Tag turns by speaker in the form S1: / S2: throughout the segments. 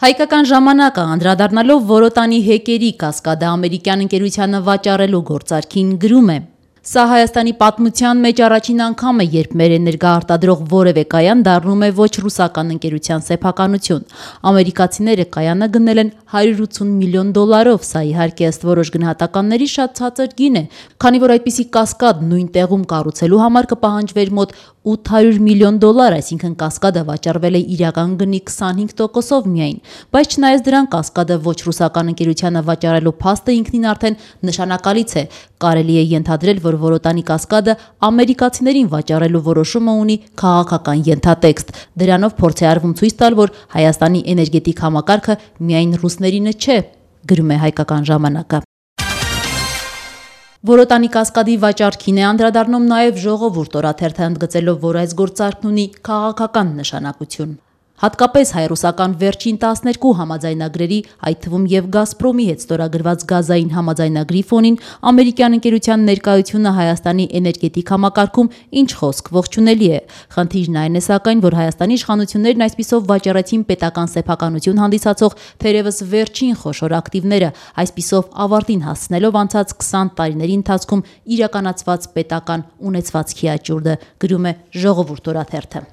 S1: Հայկական ժամանակը անդրադառնալով Որոտանի հեկերի կասկադը ամերիկյան ընկերությանը վաճառելու գործարքին գրում է. Սա Հայաստանի պատմության մեջ առաջին անգամ է, երբ մեր էներգաարտադրող որևէ կայան դառնում է ոչ ռուսական ընկերության սեփականություն։ Ամերիկացիները կայանը գնել են $180 միլիոն, սա իհարկե ըստ որոշ գնահատականների շատ ցածր գին է, քանի որ այդպիսի կասկադ նույն տեղում կառուցելու համար կպահանջվեր մոտ $800 միլիոն, այսինքն կասկադը վաճառվել է իրական գնի 25%-ով միայն, բայց չնայած դրան կասկադը ոչ ռուսական ընկերությանը վաճառելու փաստը ինքնին արդեն նշանակալից է, կարելի է ենթադրել, որ Որոտանի կասկադը ամերիկացիներին վաճառելու որոշումը ունի քաղաքական ենթատեքստ, դրանով փորձ է արվում ցույց տալ, որ Հայաստանի էներգետիկ համակարգը միայն ռուսներինը չէ, գրում է Հայկական ժամանակը։ Որոտանի կասկադի վաճառքին է անդրադառնում նաև Ժողովուրդ օրաթերթը, ընդգծելով, որ այս գործարքն ունի քաղաքական նշանակություն։ Հատկապես հայ-ռուսական վերջին 12 համաձայնագրերի, այդ թվում և Գազպրոմի հետ ստորագրված գազային համաձայնագրի ֆոնին ամերիկյան ընկերության ներկայությունը Հայաստանի էներգետիկ համակարգում ինչ խոսք ողջունելի է։ Խնդիրն այն է սակայն, որ Հայաստանի իշխանություններն այսպիսով վաճառեցին պետական սեփականություն հանդիսացող թերևս վերջին խոշոր ակտիվները, այսպիսով ավարտին հասցնելով անցած 20 տարիների ընթացքում իրականացված պետական ունեցվածքի աճուրդը, գրում է Ժողովուրդ օրաթերթը։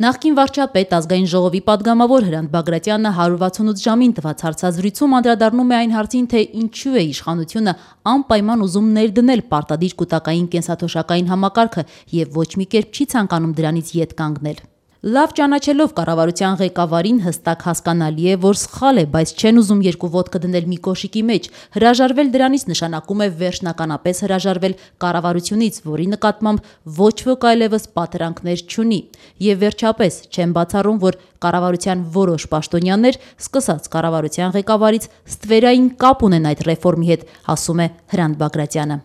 S1: Նախկին վարչապետ ազգային ժողովի падգամավոր Հրանտ Բագրատյանը 168 ժամին տված հարցազրույցում անդրադառնում է այն հարցին, թե ինչու է իշխանությունը անպայման ուզում ներդնել պարտադիր կուտակային կենսաթոշակային համակարգը եւ ոչ մի կերպ չի ցանկանում դրանից ետ կանգնել։ Լավ ճանաչելով կառավարության ղեկավարին հստակ հասկանալի է, որ սխալ է, բայց չեն ուզում երկու ոտքը դնել մի կոշիկի մեջ։ Հրաժարվել դրանից նշանակում է վերջնականապես հրաժարվել կառավարությունից, որի նկատմամբ ոչ ոք այլևս պատրանքներ չունի։ Եվ վերջապես չեն բացառում, որ կառավարության որոշ պաշտոնյաներ, սկսած կառավարության ղեկավարից, ստվերային կապ ունեն այդ ռեֆորմի հետ, ասում է Հրանտ Բագրատյանը։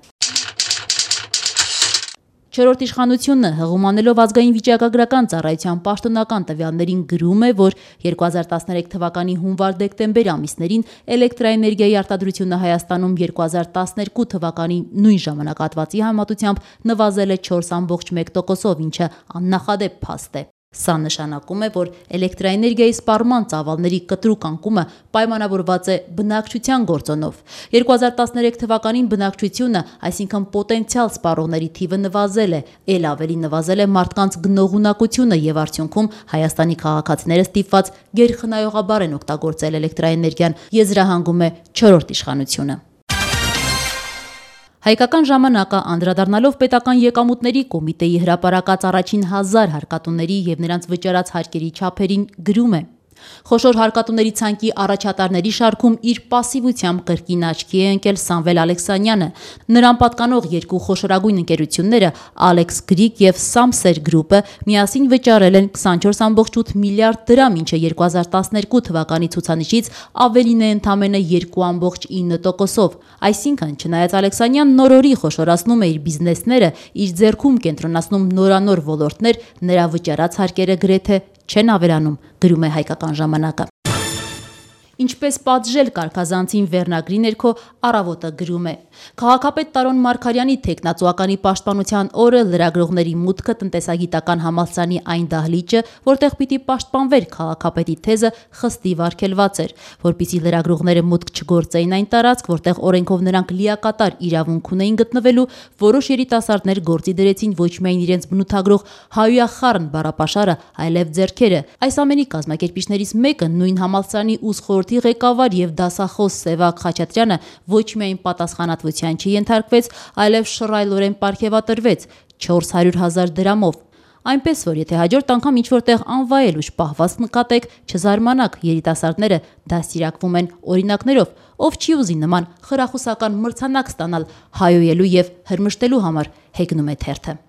S1: Չորրորդ իշխանությունը հղումանելով ազգային վիճակագրական ծառայության պաշտոնական տվյալներին գրում է, որ 2013 թվականի հունվար-դեկտեմբեր ամիսներին էլեկտրաէներգիայի արտադրությունը Հայաստանում 2012 թվականի նույն ժամանակահատվածի համեմատությամբ նվազել է 4,1%-ով, ինչը աննախադեպ փաստ է։ Սա նշանակում է, որ էլեկտրաէներգիայի սպառման ծավալների կտրուկ անկումը պայմանավորված է բնակչության գործոնով։ 2013 թվականին բնակչությունը, այսինքն պոտենցիալ սպառողների թիվը նվազել է, ել ավելի նվազել է մարդկանց գնողունակությունը եւ արդյունքում Հայաստանի քաղաքացիները ստիպված գերխնայողաբար են օգտագործել էլեկտրաէներգիան, եզրահանգում է չորրորդ իշխանությունը։ Հայկական ժամանակը անդրադառնալով պետական եկամուտների կոմիտեի հրապարակած առաջին 1000 հարկատուների եւ նրանց վճարած հարկերի չափերին գրում է. Խոշոր հարկատուների ցանկի առաջատարների շարքում իր պասիվությամբ կրկին աչքի է ընկել Սամվել Ալեքսանյանը։ Նրան պատկանող երկու խոշորագույն ընկերությունները Alex Greek եւ Samser Group-ը միասին վճարել են 24,8 միլիարդ դրամ, ինչը 2012 թվականի ցուցանիշից ավելին է ընդամենը 2,9%-ով։ Այսինքն, չնայած Ալեքսանյանն նորորի խոշորացնում է իր բիզնեսները, իր ձեռքում կենտրոնացնում նորանոր ոլորտներ, նրա վճարած հարկերը գրեթե չեն ավելանում, գրում է Հայկական ժամանակը։ Ինչպես պատժել կարգազանցին վերնագրի ներքո Առավոտը գրում է. Քաղաքապետ Տարոն Մարգարյանի թեկնածուականի պաշտպանության օրը լրագրողների մուտքը տնտեսագիտական համալսարանի այն դահլիճը, որտեղ պիտի պաշտպանվեր քաղաքապետի թեզը, խստիվ արգելված էր, որպեսզի լրագրողները մուտք չգործեին այն տարածք, որտեղ օրենքով նրանք լիակատար իրավունք ունեին գտնվելու, որոշ երիտասարդներ գործի դրեցին ոչ միայն իրենց բնութագրող հայույախառն բառապաշարը, այլև ձեռքերը։ Այս ամենի կազմակերպիչներից մեկը նույն համալսարանի ուսխորհրդի ղեկավար եւ դասախոս Սևակ Խաչատրյանը ոչ միայն պատասխանատվության չենթարկվեց, այլև շռայլորեն պարգևատրվեց 400,000 դրամով։ Այնպես որ եթե հաջորդ անգամ ինչ որտեղ անվայել ու պահված նկատեք, չզարմանաք, երիտասարդները դաստիարակվում են օրինակներով, ով չի ուզի նման խրախուսական մրցանակ ստանալ հայոյելու եւ հրմշտելու համար, հեգնում է թերթը։